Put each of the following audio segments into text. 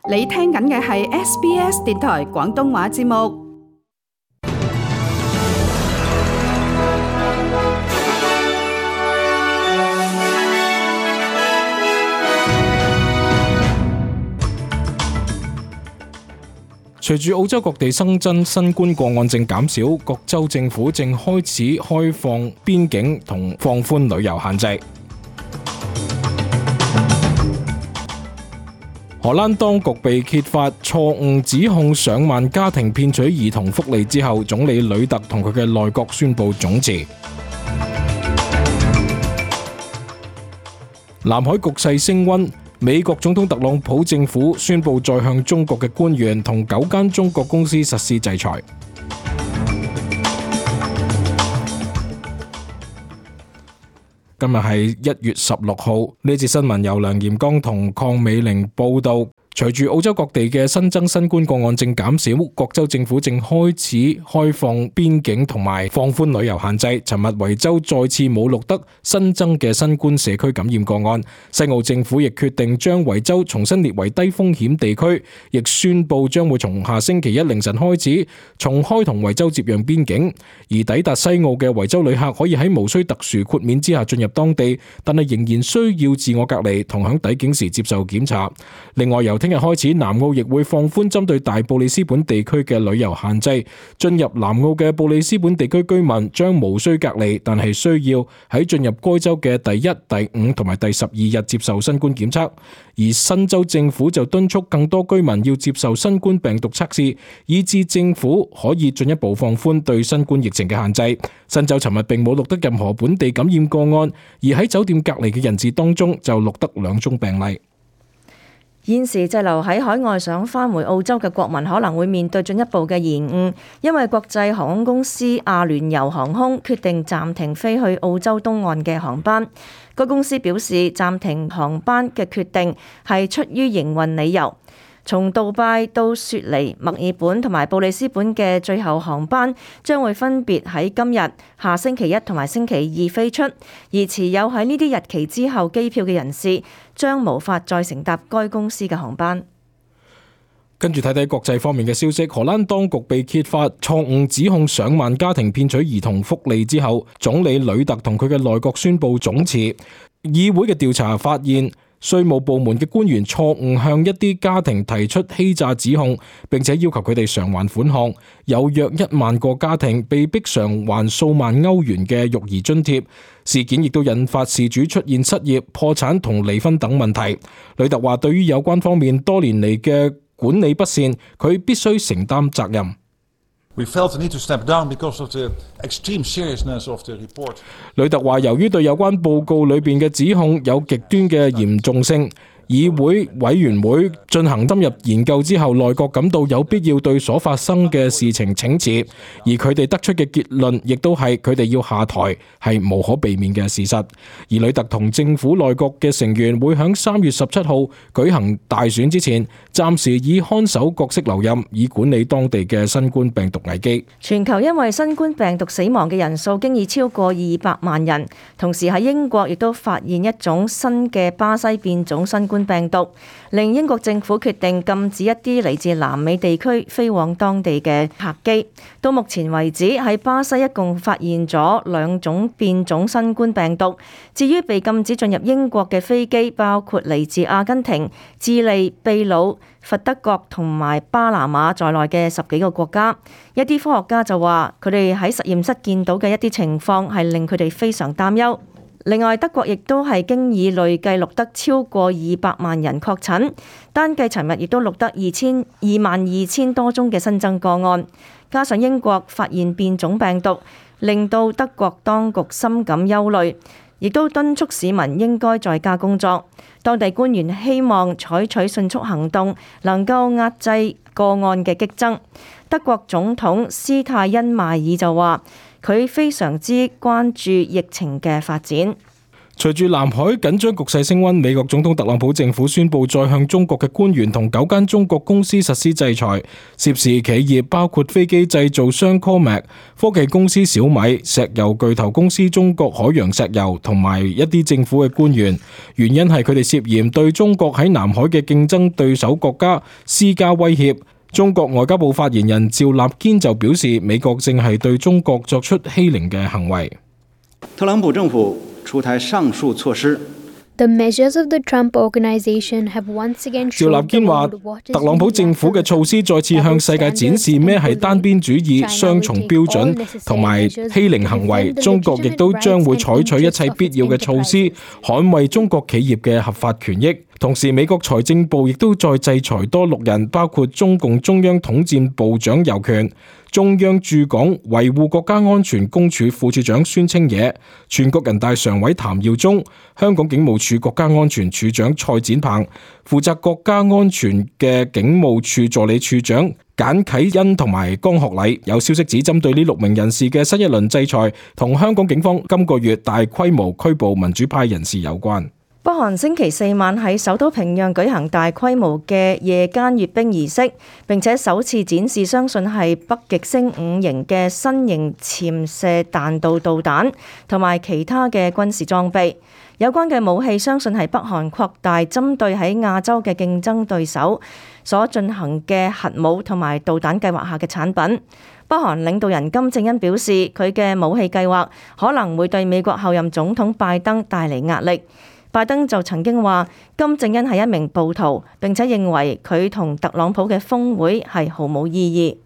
你聽緊嘅係 SBS 電台廣東話節目。隨住澳洲各地新增新冠個案正減少，各州政府正開始開放邊境同放寬旅遊限制。荷蘭當局被揭發錯誤指控上萬家庭騙取兒童福利之後，總理呂特同佢嘅內閣宣布總辭。南海局勢升溫，美國總統特朗普政府宣布再向中國嘅官員同9間中國公司實施制裁。今日係1月16號，呢節新聞由梁炎剛同鄺美玲報道。隨住澳洲各地嘅新增新冠個案正減少，各州政府正開始開放邊境同埋放寬旅遊限制。尋日維州再次冇錄得新增嘅新冠社區感染個案，西澳政府亦決定將維州重新列為低風險地區，亦宣布將會從下星期一凌晨開始重開同維州接壤邊境。而抵達西澳嘅維州旅客可以喺無需特殊豁免之下進入當地，但係仍然需要自我隔離同響抵境時接受檢查。另外，由聽日開始，南澳亦會放寬針對大布里斯本地區嘅旅遊限制。進入南澳嘅布里斯本地區居民將無需隔離，但係需要喺進入該州嘅第1、第5同埋第12日接受新冠檢測。而新州政府就敦促更多居民要接受新冠病毒測試，以致政府可以進一步放寬對新冠疫情嘅限制。新州尋日並冇錄得任何本地感染個案，而喺酒店隔離嘅人士當中就錄得2宗病例。現時滯留喺海外想返回澳洲嘅國民可能會面對進一步嘅延誤，因為國際航空公司阿聯酋航空決定暫停飛去澳洲東岸嘅航班。該公司表示，暫停航班嘅決定係出於營運理由。從杜拜到雪梨、墨爾本同埋布里斯本嘅最後航班將會分別喺今日、下星期一同埋星期二飛出，而持有喺呢啲日期之後機票嘅人士將無法再乘搭該公司嘅航班。跟住睇睇國際方面嘅消息，荷蘭當局被揭發錯誤指控上萬家庭騙取兒童福利之後，總理呂特同佢嘅內閣宣布總辭。議會嘅調查發現，稅務部門嘅官員錯誤向一啲家庭提出欺詐指控，並且要求佢哋償還款項，有約1萬個家庭被逼償還數萬歐元嘅育兒津貼。事件亦都引發事主出現失業、破產同離婚等問題。呂特話對於有關方面多年嚟嘅管理不善，佢必須承擔責任。呂特話由於對有關報告裏邊嘅指控有極端嘅嚴重性，議會委員會進行深入研究之後，內閣感到有必要對所發生嘅事情請辭，而佢哋得出嘅結論亦都係佢哋要下台係無可避免嘅事實。而呂特同政府內閣嘅成員會喺3月17號舉行大選之前，暫時以看守角色留任，以管理當地嘅新冠病毒危機。全球因為新冠病毒死亡嘅人數經已超過200萬人，同時喺英國亦都發現一種新嘅巴西變種新冠病毒，令英國政府決定禁止一啲嚟自南美地區飛往當地嘅客機。到目前為止，喺巴西一共發現咗2種變種新冠病毒。至於被禁止進入英國嘅飛機，包括嚟自阿根廷、智利、秘魯、佛得角同埋巴拿馬在內嘅10幾個國家。一啲科學家就話，佢哋喺實驗室見到嘅一啲情況係令佢哋非常擔憂。另外，德國亦都係經已累計錄得超過200萬人確診，單計尋日亦都錄得22000多宗嘅新增個案。加上英國發現變種病毒，令到德國當局深感憂慮，亦都敦促市民應該在家工作。當地官員希望採取迅速行動，能夠壓制個案嘅激增。德國總統施泰因邁爾就話，佢非常之關注疫情嘅發展。隨住南海緊張局勢升溫，美國總統特朗普政府宣布再向中國嘅官員同9間中國公司實施制裁，涉事企業包括飛機製造商 Comac、科技公司小米、石油巨頭公司中國海洋石油同埋一啲政府嘅官員，原因係佢哋涉嫌對中國喺南海嘅競爭對手國家施加威脅。中國外交部發言人趙立堅就表示，美國正係對中國作出欺凌嘅行為。特朗普政府出台上述措施。The measures of the Trump organization have once again趙立堅話，特朗普政府嘅措施再次向世界展示咩係單邊主義、雙重標準同埋欺凌行為。中國亦都將會採取一切必要嘅措施，捍衛中國企業嘅合法權益。同時，美國財政部亦都再制裁多6人，包括中共中央統戰部長尤權、中央駐港維護國家安全公署副處長孫清野、全國人大常委譚耀宗、香港警務處國家安全處長蔡展鵬、負責國家安全嘅警務處助理處長簡啟恩同埋江學禮。有消息指，針對呢6名人士嘅新一輪制裁，同香港警方今個月大規模拘捕民主派人士有關。北韓星期4晚喺首都平壤舉行大規模嘅夜間閱兵儀式，並且首次展示相信係北極星5型嘅新型潛射彈道導彈同埋其他嘅軍事裝備。有關嘅武器相信係北韓擴大針對喺亞洲嘅競爭對手所進行嘅核武同埋導彈計劃下嘅產品。北韓領導人金正恩表示，佢嘅武器計劃可能會對美國後任總統拜登帶嚟壓力。拜登就曾經話金正恩係一名暴徒，並且認為佢同特朗普嘅峰會係毫無意義。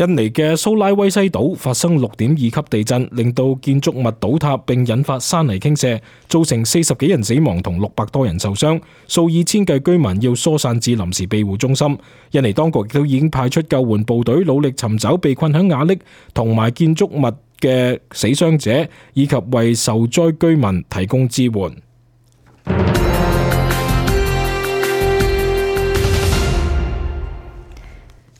印尼嘅蘇拉威西島發生6.2級地震，令到建築物倒塌並引發山泥傾瀉，造成40幾人死亡同600多人受傷，數以千計居民要疏散至臨時庇護中心。印尼當局亦都已經派出救援部隊，努力尋找被困喺瓦礫同埋建築物嘅死傷者，以及為受災居民提供支援。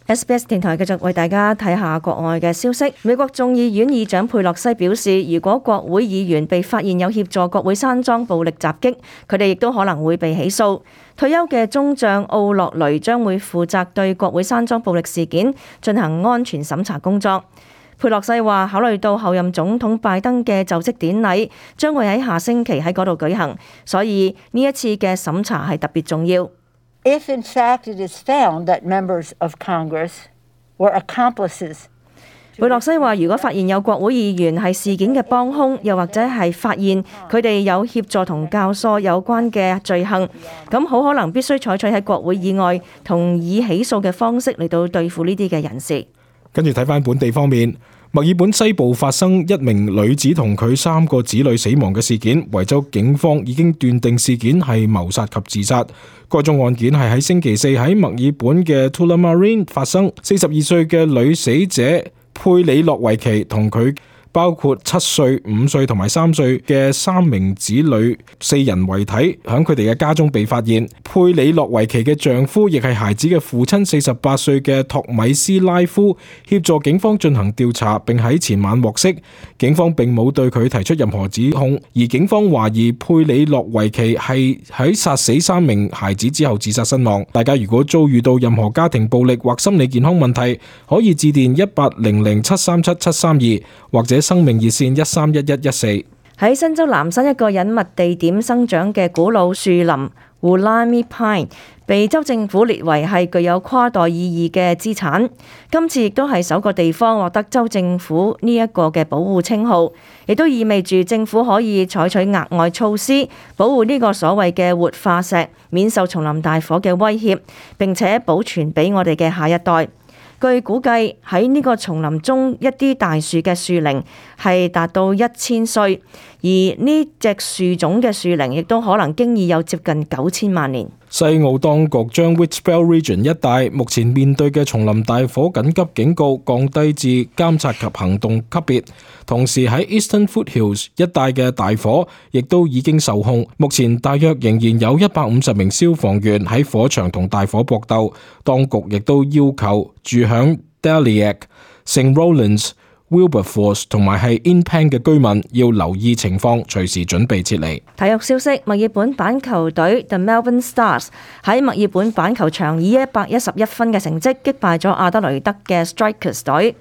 SBS 電台繼續為大家睇下國外嘅消息。美國眾議院議長佩洛西表示，如果國會議員被發現有協助國會山莊暴力襲擊，佢哋亦都可能會被起訴。退休嘅中將奧洛雷將會負責對國會山莊暴力事件進行安全審查工作。佩洛西話，考慮到後任總統拜登嘅就職典禮將會喺下星期喺嗰度舉行，所以呢一次嘅審查係特別重要。If in fact it is found that members of Congress were accomplices， 佩洛西話，如果發現有國會議員係事件嘅幫兇，又或者係發現佢哋有協助同教唆有關嘅罪行，咁好可能必須採取喺國會以外同以起訴嘅方式嚟到對付呢啲嘅人士。跟住睇返本地方面，墨爾本西部發生一名女子同佢3個子女死亡嘅事件，維州警方已經斷定事件係謀殺及自殺。該宗案件係喺星期4喺墨爾本嘅 Tullamarine 發生，42歲嘅女死者佩里洛維奇同佢包括7歲、5歲同埋3歲嘅3名子女4人遺體喺佢哋嘅家中被發現。佩里洛維奇嘅丈夫亦係孩子嘅父親48歲嘅托米斯拉夫協助警方進行調查，並喺前晚獲釋。警方並冇對佢提出任何指控，而警方懷疑佩里洛維奇係喺殺死3名孩子之後自殺身亡。大家如果遭遇到任何家庭暴力或心理健康問題，可以致電1800-737-732或者生命熱線131114。喺新州南山一個隱密地點生長嘅古老樹林 Wollemi Pine 被州政府列為係具有跨代意義嘅資產。今次亦都係首個地方獲得州政府呢一個嘅保護稱號，亦都意味住政府可以採取額外措施保護呢個所謂嘅活化石，免受叢林大火嘅威脅，並且保存俾我哋嘅下一代。據估計喺呢個叢林中，一啲大樹嘅樹齡係達到1000歲，而呢隻樹種嘅樹齡亦都可能經已有接近9000萬年。西澳當局將 Whitbell Region 一帶目前面對嘅叢林大火緊急警告降低至監察及行動級別，同時喺 Eastern Foothills 一帶嘅大火亦都已經受控。目前大約仍然有150名消防員喺火場同大火搏鬥。當局亦都要求住響 Daliac、St. Rowlands、Wilberforce 同埋係 Inpen 嘅居民要留意情況，隨時準備撤離。體育消息：墨爾本板球隊 The Melbourne Stars 喺墨爾本板球場以111分嘅成績擊敗咗阿德雷德嘅 Strikers 隊。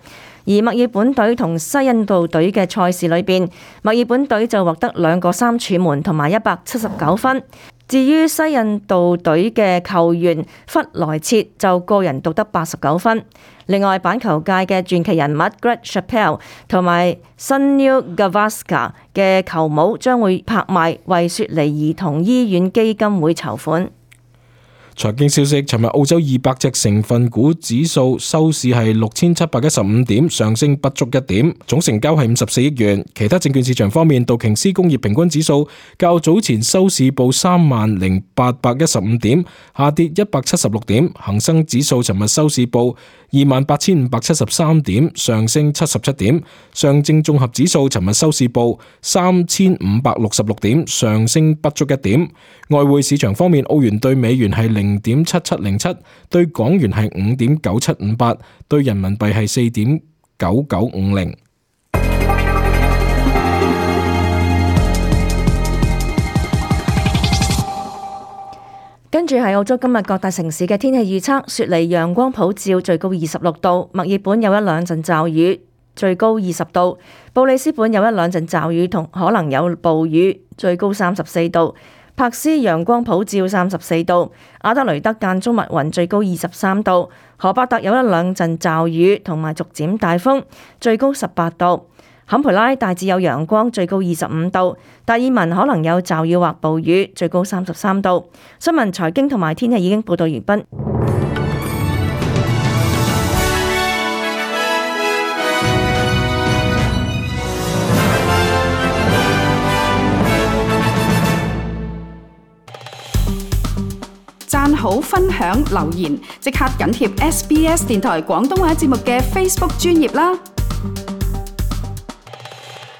而墨爾本隊同西印度隊嘅賽事裏邊，墨爾本隊就獲得2個3柱門同埋179分。至於西印度隊嘅球員弗萊切就個人獨得89分。另外，板球界嘅傳奇人物 Greg Chappell 同埋 Sunil Gavaskar 嘅球帽將會拍賣，為雪梨兒童醫院基金會籌款。財經消息：尋日澳洲200隻成分股指數收市係6715點，上升不足1點，總成交係54億元。其他證券市場方面，道瓊斯工業平均指數較早前收市報30815點，下跌176點；恒生指數尋日收市報28573點，上升77點；上證綜合指數尋日收市報3566點，上升不足1點。外匯市場方面，澳元對美元係0.7707，對港元係5.9758，對人民幣係4.9950。跟住係澳洲今日各大城市嘅天氣預測：雪梨陽光普照，最高26度；墨爾本有1兩陣驟雨，最高20度；布里斯本有1兩陣驟雨同可能有暴雨，最高34度；柏斯陽光普照34度；阿德雷德間中密雲，最高23度；荷伯特有1兩陣驟雨同埋逐漸大風，最高18度；坎培拉大致有陽光，最高25度；達爾文可能有驟雨或暴雨，最高33度。新聞、財經同埋天氣已經報道完畢。讚好、分享、留言，即刻緊貼SBS 電台廣東話節目嘅 Facebook 專頁啦！